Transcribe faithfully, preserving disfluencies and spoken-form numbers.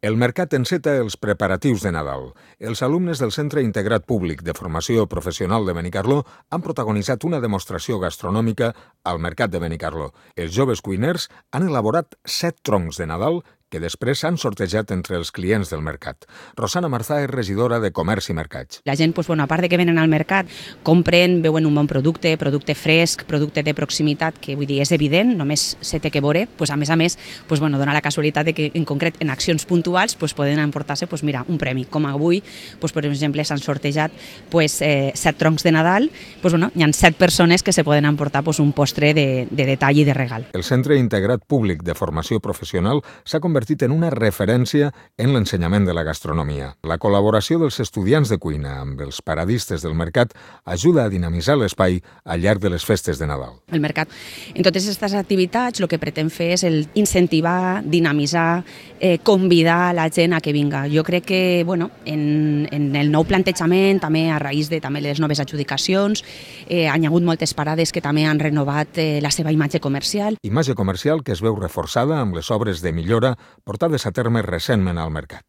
El mercat enceta els preparatius de Nadal. Els alumnes del Centre Integrat Públic de Formació Professional de Benicarló han protagonitzat una demostració gastronòmica al mercat de Benicarló. Els joves cuiners han elaborat set troncs de Nadal que després s'han sortejat entre els clients del mercat. Rosana Marzà és regidora de Comerç i Mercats. La gent, doncs, bueno, a part de que venen al mercat, compren, veuen un bon producte, producte fresc, producte de proximitat, que vull dir, és evident, només se té que veure. Pues, a més a més, pues, bueno, dona la casualitat de que en concret en accions puntuals pues, poden emportar-se pues, mira, un premi. Com avui, pues, per exemple, s'han sortejat pues, eh, set troncs de Nadal, pues, bueno, hi ha set persones que se poden emportar pues, un postre de, de detall i de regal. El Centre Integrat Públic de Formació Professional s'ha convertit en una referència en l'ensenyament de la gastronomia. La col·laboració dels estudiants de cuina amb els paradistes del mercat ajuda a dinamitzar l'espai al llarg de les festes de Nadal. El mercat, en totes aquestes activitats, el que pretén fer és el incentivar, dinamitzar, eh, convidar la gent a que vinga. Jo crec que, bueno, en, en el nou plantejament, també a raïs de també les noves adjudicacions, eh, han hi hagut moltes parades que també han renovat eh, la seva imatge comercial. Imatge comercial que es veu reforçada amb les obres de millora portades a terme recentment al mercat.